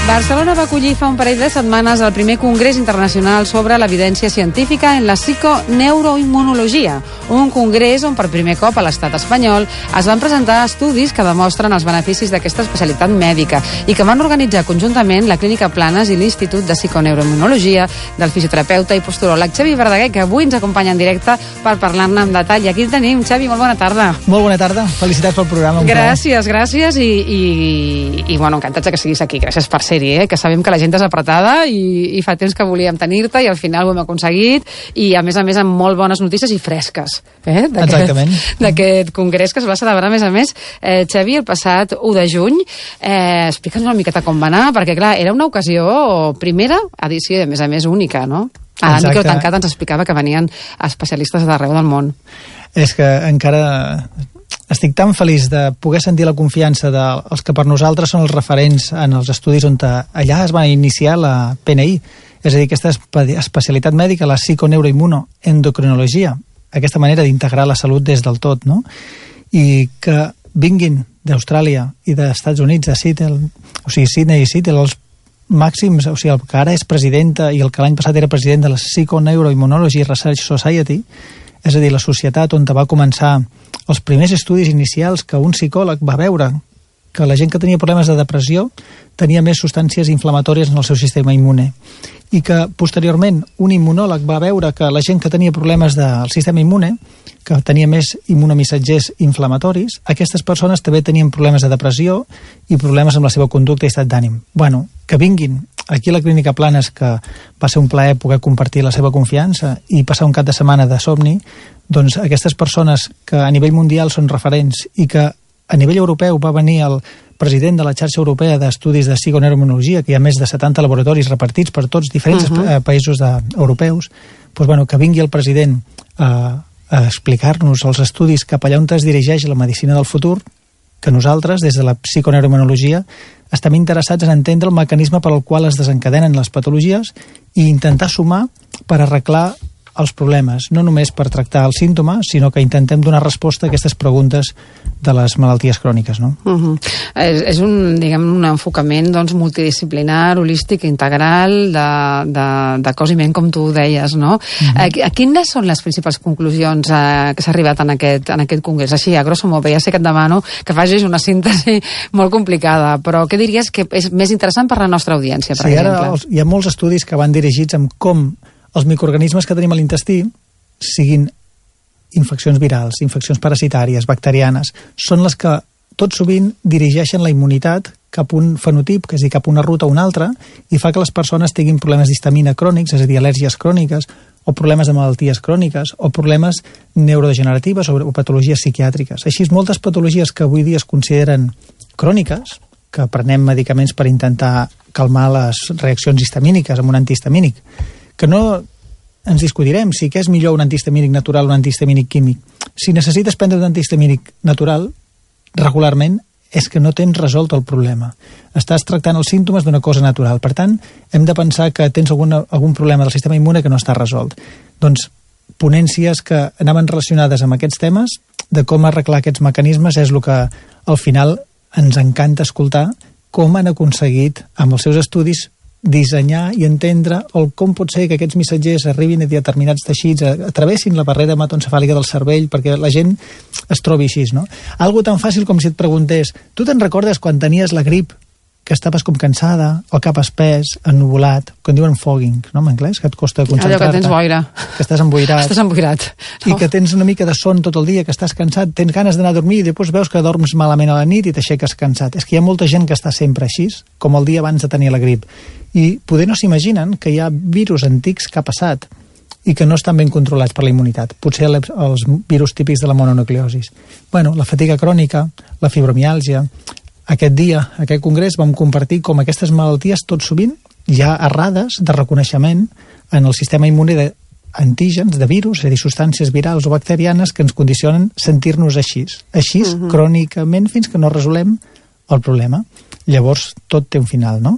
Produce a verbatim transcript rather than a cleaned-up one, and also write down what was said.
Barcelona va acollir fa un parell de setmanes el primer Congrés Internacional sobre l'Evidència Científica en la Psiconeuroimmunologia, un congrés on per primer cop a l'estat espanyol es van presentar estudis que demostren els beneficis d'aquesta especialitat mèdica i que van organitzar conjuntament la Clínica Planes i l'Institut de Psiconeuroimmunologia del fisioterapeuta i posturòleg Xavi Verdaguer, que avui ens acompanya en directe per parlar-ne en detall. I aquí el tenim. Xavi, molt bona tarda. Molt bona tarda. Felicitats pel programa. Gràcies, gràcies i, i, i bueno, encantats que siguis aquí. Gràcies per ser-hi, eh? Que sabem que la gent és apretada i, i fa temps que volíem tenir-te i al final ho hem aconseguit i a més a més amb molt bones notícies i fresques, eh? D'aquest congrés que es va celebrar a més a més, eh, Xavi, el passat u de juny. Eh, Explica'ns una miqueta com va anar, perquè clar, era una ocasió primera edició i a més a més única, no? A la micro tancat ens explicava que venien especialistes d'arreu del món. És que encara estic tan feliç de poder sentir la confiança dels que per nosaltres són els referents en els estudis on allà es va iniciar la P N I, és a dir, aquesta especialitat mèdica, la psiconeuroimmunoendocrinologia, aquesta manera d'integrar la salut des del tot, no? I que vinguin d'Austràlia i dels Estats Units, de Seattle, o sigui, Sydney i Seattle, els màxims, o sigui, el que ara és presidenta i el que l'any passat era president de la Psiconeuroimmunology Research Society, és a dir, la societat on va començar els primers estudis inicials que un psicòleg va veure que la gent que tenia problemes de depressió tenia més substàncies inflamatòries en el seu sistema immune i que posteriorment un immunòleg va veure que la gent que tenia problemes del sistema immune, que tenia més immunomissatgers inflamatoris, aquestes persones també tenien problemes de depressió i problemes amb la seva conducta i estat d'ànim. Bueno, que vinguin aquí a la Clínica Planes, que va ser un plaer poder compartir la seva confiança i passar un cap de setmana de somni, doncs aquestes persones que a nivell mundial són referents i que a nivell europeu va venir el president de la xarxa europea d'estudis de psiconeuroimmunologia, que hi ha més de setanta laboratoris repartits per tots diferents uh-huh. països de, europeus, doncs, bueno, que vingui el president a, a explicar-nos els estudis cap allà on es dirigeix la medicina del futur, que nosaltres, des de la psiconeuroimmunologia, estem interessats en entendre el mecanisme per al qual es desencadenen les patologies i intentar sumar per arreglar els problemes, no només per tractar el símptoma, sinó que intentem donar resposta a aquestes preguntes de les malalties cròniques, no? Uh-huh. És, és un, diguem, un enfocament doncs, multidisciplinar, holístic, integral, de, de, de cos i ment, com tu deies, no? Uh-huh. A, a quines són les principals conclusions eh, que s'ha arribat en aquest, en aquest congrés? Així, a grosso modo, ja sé que et demano que facis una síntesi molt complicada, però què diries que és més interessant per a la nostra audiència, per sí, exemple? Ara els, hi ha molts estudis que van dirigits amb com els microorganismes que tenim a l'intestí, siguin infeccions virals, infeccions parasitàries, bacterianes, són les que tot sovint dirigeixen la immunitat cap a un fenotip, que és a dir, cap a una ruta o una altra, i fa que les persones tinguin problemes d'histamina crònics, és a dir, al·lèrgies cròniques, o problemes de malalties cròniques, o problemes neurodegeneratives o patologies psiquiàtriques. Així, moltes patologies que avui dia es consideren cròniques, que prenem medicaments per intentar calmar les reaccions histamíniques amb un antihistamínic, que no ens discutirem si què és millor un antihistamínic natural o un antihistamínic químic. Si necessites prendre un antihistamínic natural, regularment, és que no tens resolt el problema. Estàs tractant els símptomes d'una cosa natural. Per tant, hem de pensar que tens alguna, algun problema del sistema immune que no està resolt. Doncs, ponències que anaven relacionades amb aquests temes, de com arreglar aquests mecanismes, és el que al final ens encanta escoltar com han aconseguit, amb els seus estudis, dissenyar i entendre el com pot ser que aquests missatgers arribin a determinats teixits, travessin la barrera hematoencefàlica del cervell perquè la gent es trobi així, no? Algo tan fàcil com si et preguntés, tu te'n recordes quan tenies la grip, que estaves com cansada, el cap espès, ennuvolat, que en diuen fogging, no, en anglès, que et costa concentrar-te. Allò que tens boira. Que estàs emboirat. Estàs emboirat. I que tens una mica de son tot el dia, que estàs cansat, tens ganes d'anar a dormir i després veus que dorms malament a la nit i t'aixeques cansat. És que hi ha molta gent que està sempre així, com el dia abans de tenir la grip. I poder no s'imaginen que hi ha virus antics que ha passat i que no estan ben controlats per la immunitat. Potser els virus típics de la mononucleosis. Bueno, la fatiga crònica, la fibromiàlgia. Aquest dia, aquest congrés, vam compartir com aquestes malalties tot sovint ja errades de reconeixement en el sistema immune d'antígens, de virus, és a dir, substàncies virals o bacterianes que ens condicionen sentir-nos així, així uh-huh. crònicament fins que no resolem el problema. Llavors tot té un final, no?